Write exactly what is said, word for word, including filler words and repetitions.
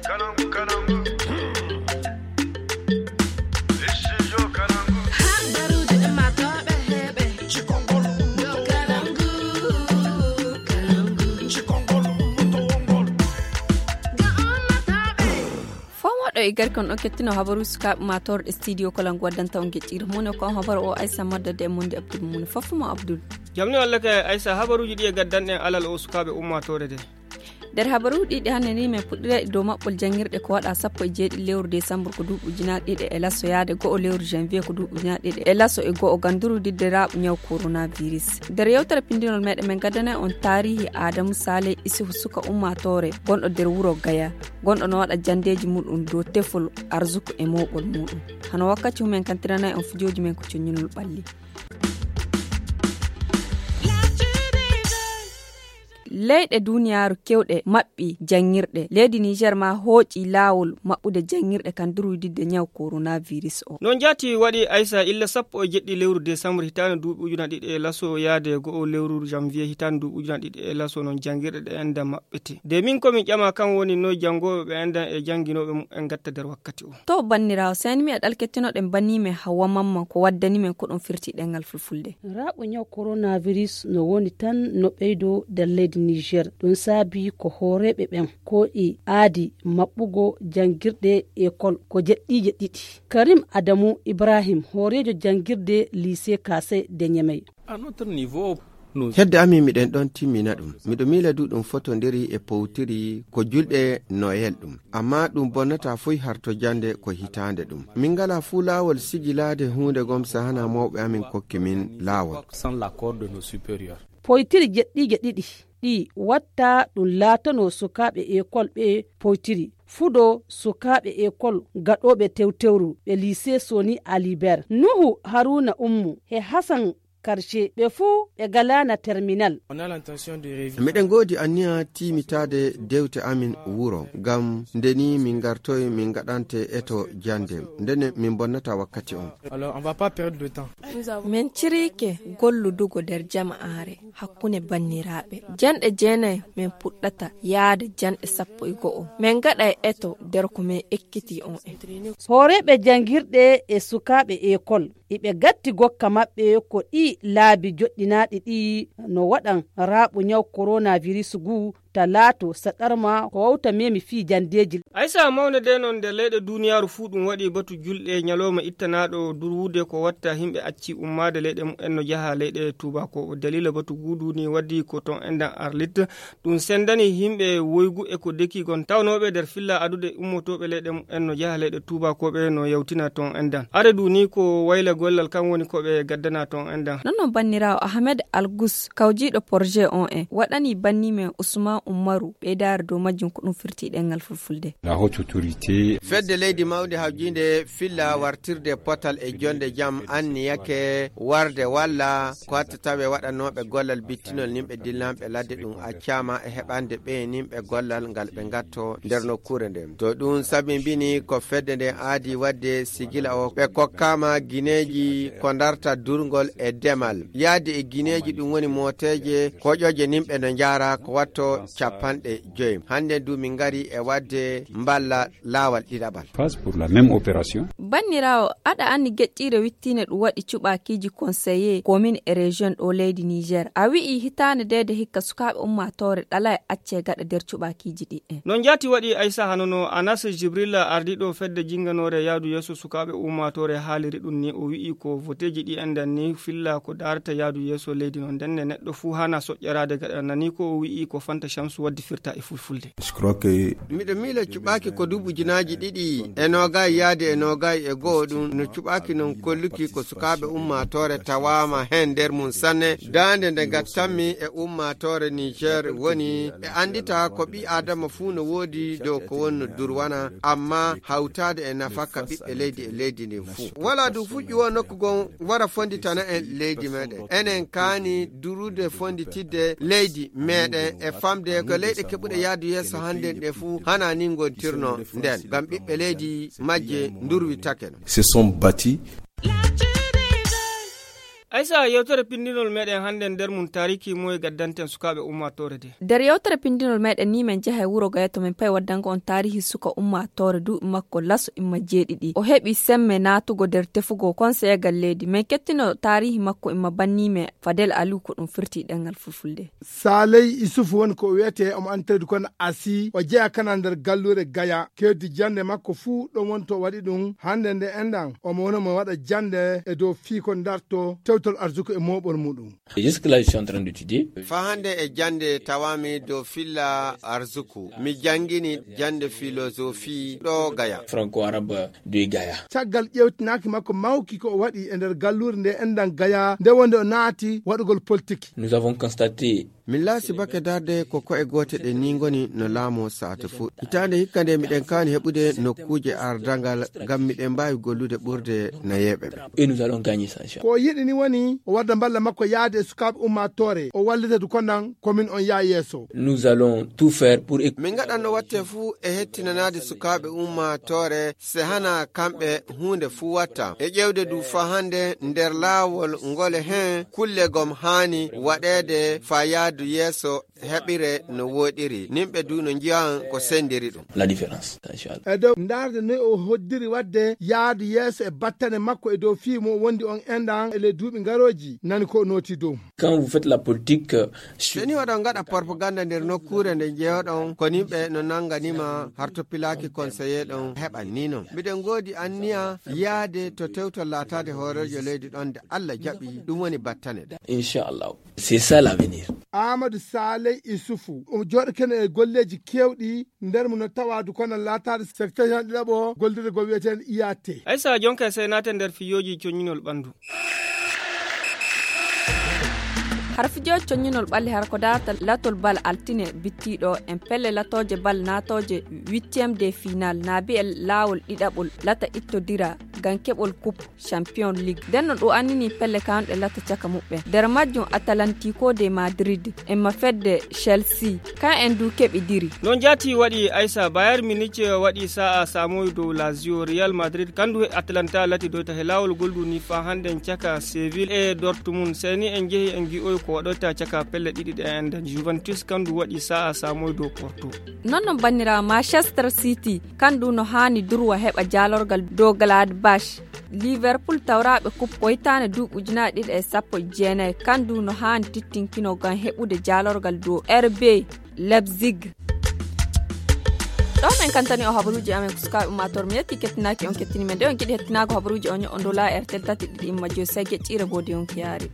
Habaruuji ɗi maa tooɓe heɓe. Cikongol ɗo Kalangu. Cikongol ɗo ummatoowo ngol. Ga ummatooɓe. Fomooɗo e garkon on kettino habaru sukaaɓe maa toorɗe studio Kalangu waddanta on geƴƴiire mum ne ko on habaru o Aissa Madda de e monde Abdul mum ne fof mo Abdul. Jam ni walla kay Aissa, habaruuji ɗi e gaddanɗen alal o sukaaɓe ummaatoore de. Nder habaruuji ɗiɗi hannde ni, men puɗɗira e dow maɓɓol janngirɗe ko waɗa sappo e jeeɗiɗi lewru desambur ko duuɓi ujunaaji ɗiɗi e laso yaade go'o lewru janvier ko duuɓi ujunaaji ɗiɗi e laso e go'o ngam durwididde raaɓo ñaw coronavirus. Nder yewtere pinndinol meɗen, men gaddanay on taarihi Adamu Sale Isufu, suka ummaatoore gonɗo nder wuro Gaya, gonɗo no waɗa janndeeji muɗum dow tefol arzuku e mooɓol muɗum. Hano wakkati humen kantiranay on fijooji men ko coññinol ɓalli. Leyɗe duniyaaru kewɗe maɓɓi janngirɗe. Leydi Niger ma hooƴi laawol maɓɓude janngirɗe kan durwididde ñaw coronavirus o. Noon jaati waɗi Aissa illa sappo e jeɗɗi lewru desambur hitaande duuɓi ujuna ɗiɗi e laso yaade go'o lewru janvier hitaande duuɓi ujuna ɗiɗi e laso noon janngirɗe ɗe enda maɓɓete. De min ko min ƴama kan woni noy janngooɓe ɓe endan e jannginooɓe mum en gatta nder wakkati o. To banniraawo, seni mi e ɗal kettinoɗen banni men Hawwa Mamman ko waddani men ko ɗum firti ɗengal fulfulde. Raaɓo ñaw coronavirus no woni tan no ɓeydo nder leydi Niger. Ɗum saabi ko hooreeɓe ɓen ko e aadi maɓɓugo janngirɗe ekol ko jeɗɗiije ɗiɗi. Karim Adamu Ibrahim, hooreejo janngirde lycée Kase de Ñemey. Hedde amin miɗen ɗon timmina ɗum. Miɗo miila du ɗum fotondiri e powtiri ko julɗe Noël ɗum. Amma ɗum bonnata foy harto jannde ko hitaande ɗum. Min ngala fuu laawol sigilaade huunde gom sahana mawɓe amin kokki min laawol. Poytiri jeɗɗiije ɗiɗi ɗi watta ɗum laatanoo sukaaɓe ekol ɓe poytiri. Fuɗo sukaaɓe ekol gaɗooɓe tewtewru ɓe lycée Soni Aliber. Nuhu Haruna Ummu he Hasan Karce ɓe fuu ɓe galaana terminal. Miɗen ngoodi anniya tiimitaade dewte amin wuro, ngam nde ni min ngartoy min ngaɗante eto jannde, ndene min bonnata wakkati on. Min ciriike golludugo nder jama'aare hakkunde banniraaɓe. Janɗe jeenay min puɗɗata yaade janɗe sappo e go'o. Min ngaɗay eto nder ko min ekkitii on en. Hooreeɓe janngirɗe e sukaaɓe ekol. Iɓe gatti gokka maɓɓe ko ɗi laabi joɗɗinaaɗi ɗi no waɗan raaɓo ñaw coronavirus ngu ta laato saɗarma ko wawta memi fii janndeeji. Aysa mawnde de noon nder leyɗe duuniyaaru fuu ɗum waɗi batu julɗe ñalooma ittanaaɗo durwude ko watta himɓe acci ummaade leyɗe mumen no jaha leyɗe tuubakooɓe. Daliila batu guudu ni waddi ko toon endan Arlit. Ɗum senndani yimɓe woygu e ko deki gon tawnooɓe nder filla adude ummotooɓe leyɗe mumen no jaha leyɗe tuubakooɓe no yawtina toon endan. Are du ni ko wayla gollal kan woni ko ɓe gaddana toon endan. Non non banniraawo Ahmed Algus, kawjiiɗo projet on en, waɗani banni men Usman Umaru ɓeydaare dow majjum ko ɗum firti ɗengal fulfulde. La haute autorité. Fedde leydi mawndi hawjiinde filla wartirde potal e jonde jam anniyake warde walla ko hatta tawe waɗanooɓe gollal bittinol nimɓe dillanɓe ladde ɗum accaama e heɓande ɓe nimɓe gollal ngal ɓe ngatto nder nokkuure nden. To ɗum sabibini ko fedde nden aadi wadde sigila o ɓe kokkaama gineeji ko darta durngol e demal. Yaadi e gineeji ɗum woni mooteeje koƴooje nimɓe no njaara ko watto capanɗe joyi. Hannde du min ngari e wadde mballa laawal ɗiɗaɓal. Phase pour la même opération. Banniraawo, aɗa anndi geƴƴiire wittiinde ɗum waɗi cuɓaakiiji conseillé commune e région ɗo leydi Niger. A wi'i hitaande deede hikka sukaaɓe ummaatoore ɗalay accee gaɗa nder cuɓaakiiji ɗiɗɗen. No njaati waɗi Aysa hano no Anas Jibril ardiiɗo fedde jinnganoore yaadu yeeso sukaaɓe ummaatoore haaliri ɗum ni o wi'i ko voteeji ɗi endan ni filla ko daarata yaadu yeeso leydi no ndenne neɗɗo fuu hana soƴƴaraade gaɗa nani ko o wi'i ko Fanta Shamsu waddi firta e fulfulde. Je crois que miɗo miila cuɓaaki ko duuɓi ujunaaji ɗiɗi e noogaay yaade e noogaay e go'o ɗum no cuɓaaki non kolluki ko sukaaɓe ummaatoore tawaama heen nder mum sanne. Daande nde ngattanmi e ummaatoore Niger woni ɓe anndita ko ɓii Aadama fuu no woodi dow ko wonno durwana, amma hawtaade e nafaka ɓiɓɓe leydi e leydi ndin fuu. Walaa du fuu ƴuwo nokku gon wara fonditana en leydi meɗen. Enen kaani durude fonditidde leydi meɗen e famde ko leyɗe keɓuɗe yaadu yeeso hannden ɗe fuu hana ni ngontirno nden. Ngam ɓiɓɓe leydi majje ndurwitake no. Se sont battus. Aysa, yewtere pinndinol meɗen hannde nder mum taariki moye gaddanten sukaaɓe ummaatoore de. Nder yewtere pinndinol meɗen ni men njaha e wuro Gaya to men payi waddango on taarihi suka ummaatoore duuɓi makko laso imma jeeɗiɗi. O heɓi semme naatugo nder tefugo konseyeegal leydi. Men kettino taarihi makko imma banni men Fadel Aliou ko ɗum firti ɗemngal fulfulde. Saaley Isufu woni ko o wiyetee, omo anndi tawdi kono Asi, o jeyaa kana nder galluure Gaya. Keewdi jannde makko fuu ɗon woni to o waɗi ɗum. Hannde nde enɗan, omo woni mo waɗa jannde e dow fii ko darto tewtol arsuku e mooɓol muɗum. Jusque là, je suis en train d'étudier. Fa hannde e jannde tawaami dow filla arsuku. Mi janngini jannde philosophie ɗo Gaya. Franco-arabe de Gaya. Caggal ƴeewtinaaki makko mawki ko o waɗi e nder galluure nde enɗan Gaya, nde wonde o naati waɗugol politik. Nous avons constaté. Min laasi bakke darde ko ko'e goote ɗe ni ngoni no laamoo saate fuu. Hitaande hikka nde miɗen kaani heɓude nokkuuje ardangal ngam miɗen mbaawi gollude ɓurde nayeeɓe ɓe. Et nous allons gagner ça, inchallah. Ko o yiɗi ni woni o wadda mballa makko yaade e sukaaɓe ummaatoore, o wallita du konan ko min on yaa yeeso. Nous allons tout faire pour. Min ngaɗan no watte fuu e hettinanaade sukaaɓe ummaatoore se hana kamɓe huunde fuu watta. E ƴeewde du fa hannde nder laawol ngole hen kulle gom haani waɗeede fa yaadu yeeso heɓire no wooɗiri. Nimɓe du no njiyan ko sendiri ɗum. La différence, inchallah. E dow ndaarde noy o hoddiri waɗde yaadu yeeso e battane makko e dow fii mo wondi on enɗan e ley duuɓi ngarooji nani ko o nooti dow. Quand vous faites la politique, euh, so ni oɗon ngaɗa propaganda nder nokkuure nde jeyoɗon ko nimɓe no nanganima harto pilaaki conseiller ɗon heɓan ni non. Miɗen ngoodi anniya yaade to tewtol laataade hooreejo leydi ɗon nde Allah jaɓi ɗum woni battane ɗe. Inchallah. C'est ça l'avenir. Amadou Saleh Issoufou, o jooɗo kene e golleeji keewɗi nder mo no tawaadu kono laataade secteur ɗiɗaɓo gollirde gol wiyeteende I A T. Aysa jonka e sey naate nder fiyooji coñinol ɓanndu. Har fijooji coñinol ɓalli har ko darata latol bal altine bittiiɗo en pelle latooje bal naatooje huitième de final naabi e laawol ɗiɗaɓol lata ittodira ngam keɓol coupe Champion League. Nden no ɗum annini pelle kaanɗe latta caka muɓɓen. Nder majjum Atalantico de Madrid, emma fedde Chelsea, kan en du keɓidiri. Noon jaati waɗi Aysa, Bayern Munich waɗi sa'a saamoy dow Lazio, Real Madrid kandu e Atalanta lati doyta he laawol goldu ni fa hannden caka Seville e Dortmund. Seni en jehi en gi'oy ko waɗoyta caka pelle ɗiɗi ɗe en nden. Juventus kandu waɗi sa'a saamoy dow Porto. Non non banniraawo Manchester City kandu no haani durwa heɓa jaalorgal dow Gladbach. Liverpool tawraaɓe coupe ko hitaande duuɓi ujunaaji ɗiɗi e sappo e jeenayi, kandu no haani tittinkino ngam heɓude jaalorgal dow R B Leipzig. Ɗo men kantani o habaruuji amen ko sukaaɓe ummaatoore. Mi yetti kettinaaki on kettini men. Nde on giɗi hettinaago habaruuji on ño'o ndola R T L tati ɗiɗi imma joyi sey geƴƴiire mboodi yonki yaari.